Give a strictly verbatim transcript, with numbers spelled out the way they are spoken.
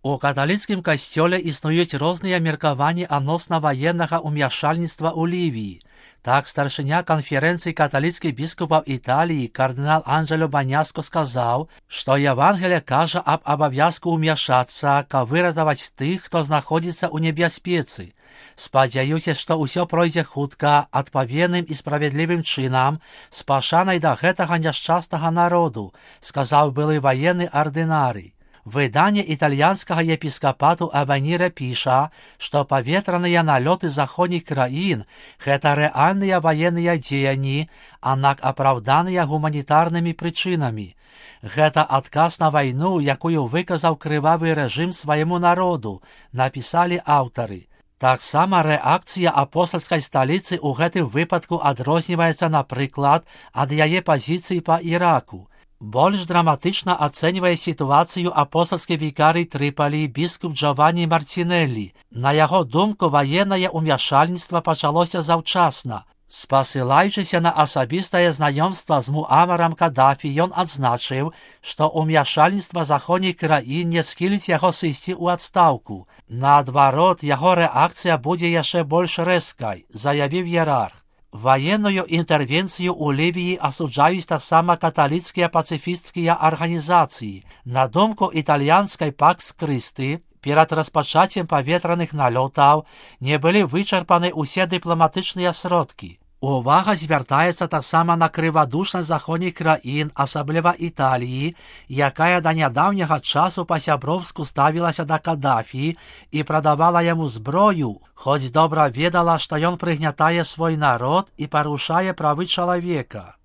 У каталіцкім касцёле існуюць розныя меркаванні адносна ваеннага ўмяшальніцтва ў Лівіі. Так, старшыня канферэнцыі каталіцкіх біскупаў Італіі кардынал Анджело Баняско сказаў, што Евангелие кажа аб абавязку ўмяшацца, каб выратаваць тых, хто знаходзіцца ў небяспецы. Спадзяюся, што ўсё пройдзе хутка, адпаведным і справядлівым чынам, з пашанай да гэтага няшчаснага народу, сказаў былы ваенны ардынарый. Выданне італьянскага епіскапату Аваніра піша, што паветраныя налёты заходніх краін – гэта рэальныя ваенныя дзеянні, аднак апраўданыя гуманітарнымі прычынамі. Гэта адказ на вайну, якую выказаў крывавы рэжым свайму народу, напісалі аўтары. Таксама рэакцыя апостальскай сталіцы ў гэтым выпадку адрозніваецца, напрыклад, ад яе пазіцыі па Іраку. Больш драматычна ацэньвае сітуацыю апостальскі вікарый Трыпалі біскуп Джованні Мартинеллі. На яго думку, ваеннае ўмяшальніцтва пачалося заўчасна. Спасылаючыся на асабістае знаёмства з Муамарам Кадафі, ён адзначыў, што ўмяшальніцтва заходніх краін не схіліць яго сысці ў адстаўку. Наадварот, яго рэакцыя будзе яшчэ больш рэзкай, заявіў іерарх. Ваенную інтэрвенцыю ў Лівіі асуджаюць таксама каталіцкія пацыфісцкія арганізацыі. На думку італьянскай Пакс Крысты, перад распачаццем паветраных налётаў не былі вычарпаны ўсе дыпламатычныя сродкі. Увага звяртаецца таксама на крывадушнасць заходніх краін, асабліва Італіі, якая да нядаўняга часу па-сяброўску ставілася да Кадафі і прадавала яму зброю, хоць добра ведала, што ён прыгнятае свой народ і парушае правы чалавека.